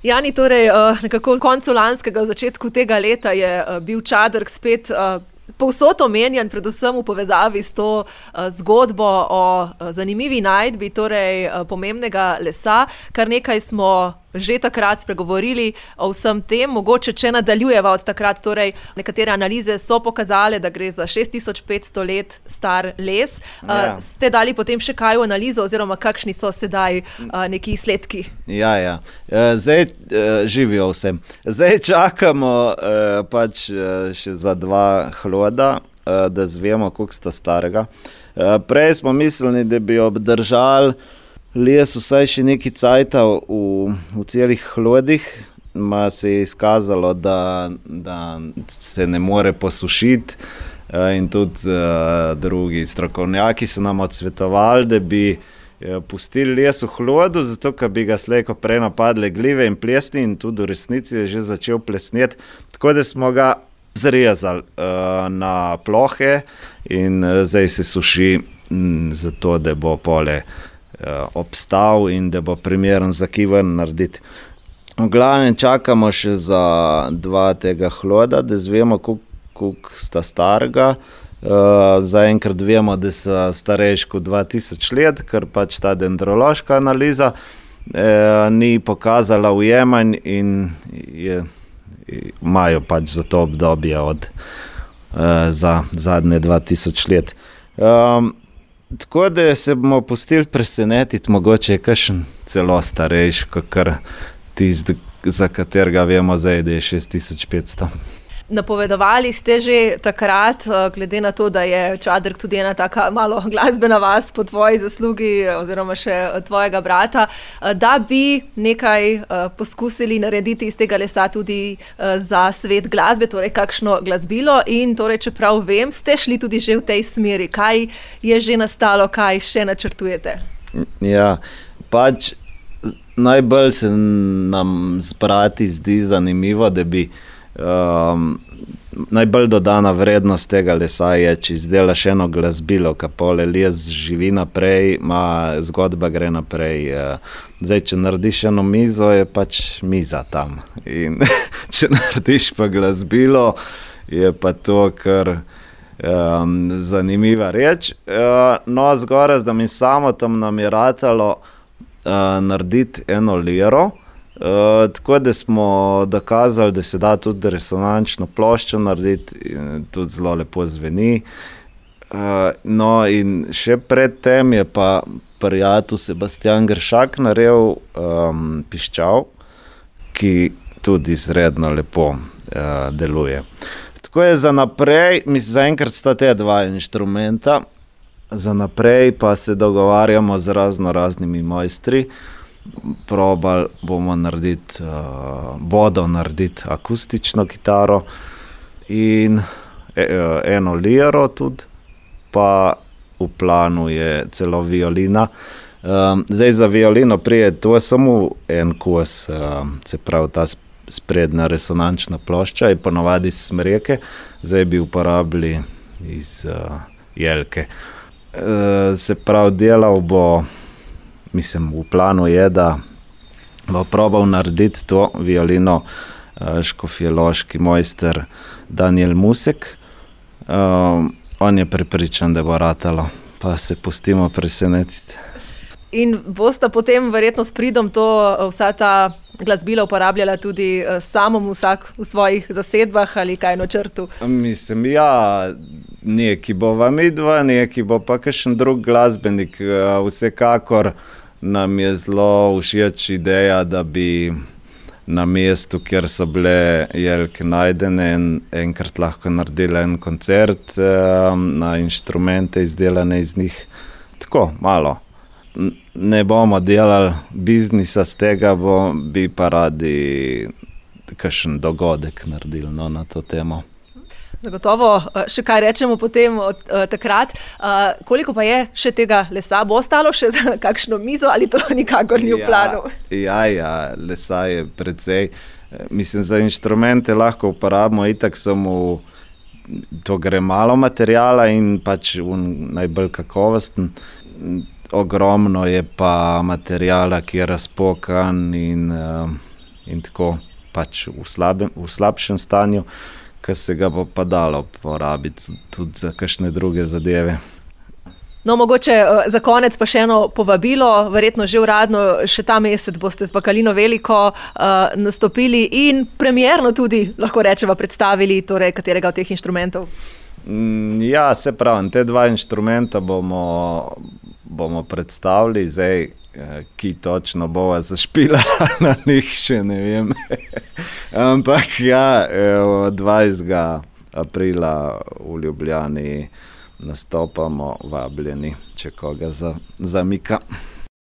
Jani, torej nekako v koncu lanskega, v začetku tega leta je bil Čadrk spet povsod omenjen, predvsem v povezavi s to zgodbo o zanimivi najdbi, torej pomembnega lesa. Kar nekaj smo že takrat spregovorili o vsem tem, mogoče če nadaljujeva od takrat, torej nekatere analize so pokazale, da gre za 6500 let star les. Ste dali potem še kaj v analizo oziroma kakšni so sedaj neki izsledki? Ja. Zdaj živijo vsem. Zdaj čakamo pač še za 2 hloda, da zvemo, koliko sta starega. Prej smo mislili, da bi obdržali les vsaj še neki cajta v celih hlodih, se je izkazalo, da se ne more posušiti in tudi drugi strokovnjaki so nam odsvetovali, da bi pustili les v hlodu, zato ker bi ga slejko prej napadle glive in plesni in tudi v resnici je že začel plesneti, tako da smo ga zrezali na plohe in zdaj se suši zato, da bo pole obstal in da bo primeren za kiven narediti. V glavnem čakamo še za 2 tega hloda, da zvemo, koliko sta starega. Zaenkrat vemo, da so starejši kot 2000 let, ker pač ta dendrološka analiza ni pokazala ujemanj in imajo pač za to obdobje za zadnje 2000 let. Tako da se bomo pustili presenetiti, mogoče je kakšen celo starejši, kakor tisti, za katerega vemo zdaj, da je 6500. Napovedovali ste že takrat, glede na to, da je Čadrk tudi ena taka malo glasbena vas po tvoji zaslugi oziroma še tvojega brata, da bi nekaj poskusili narediti iz tega lesa tudi za svet glasbe, torej kakšno glasbilo in torej, čeprav vem, ste šli tudi že v tej smeri. Kaj je že nastalo, kaj še načrtujete? Ja, pač najbolj se nam z brati zdi zanimivo, da bi najbolj dodana vrednost tega lesa je, če izdelaš eno glasbilo, ka pole les živi naprej, zgodba gre naprej. Zdaj, če narediš eno mizo, je pač miza tam. In če narediš pa glasbilo, je pa to kar zanimiva reč. No, zgoraj, da mi samo tam nam je ratalo narediti eno liro, tako da smo dokazali, da se da tudi resonančno ploščo narediti, tudi zelo lepo zveni. No in še pred tem je pa prijatelj Sebastian Gršak naredil piščal, ki tudi izredno lepo deluje. Tako je za naprej, zaenkrat sta te 2 inštrumenta, za naprej pa se dogovarjamo z raznimi mojstri. Probali bomo narediti akustično kitaro in eno liro tudi, pa v planu je celo violina. Zdaj za violino prije, to je samo en kos, se pravi ta sprednja resonančna plošča je ponovadi iz smreke, zdaj bi uporabili iz jelke. Se pravi, delal bo, mislim, v planu je, da bo probal narediti to violino škofjeloški mojster Daniel Musek. On je prepričan, da bo ratalo, pa se pustimo presenetiti. In bosta potem verjetno s pridom vsa ta glasbila uporabljala tudi samom vsak v svojih zasedbah ali kaj na črtu? Mislim, ja, neki bova midva, neki bo pa kakšen drug glasbenik. Vsekakor nam je zelo všeč ideja, da bi na mestu, kjer so bile jelke najdene, enkrat lahko naredili en koncert na inštrumente izdelane iz njih. Tako, malo. Ne bomo delali biznisa z tega, bi pa radi kakšen dogodek naredili na to temo. Zagotovo še kaj rečemo potem od takrat. Koliko pa je še tega lesa? Bo ostalo še za kakšno mizo ali to nikakor ni v planu? Ja, lesa je precej. Mislim, za inštrumente lahko uporabimo itak samo, to gre malo materijala in pač najbolj kakovosten. Ogromno je pa materijala, ki je razpokan in in tako pač v slabšem stanju, ki se ga bo pa dalo porabiti tudi za kakšne druge zadeve. No, mogoče za konec pa še eno povabilo, verjetno že uradno, še ta mesec boste z Bakalino Veliko nastopili in premierno tudi, lahko rečeva, predstavili torej katerega od teh inštrumentov. Ja, se pravim, te dva inštrumenta bomo predstavili, zdaj, ki točno bova zašpilala na njih, še ne vem. Ampak ja, 20. aprila v Ljubljani nastopamo, vabljeni, če koga zamika.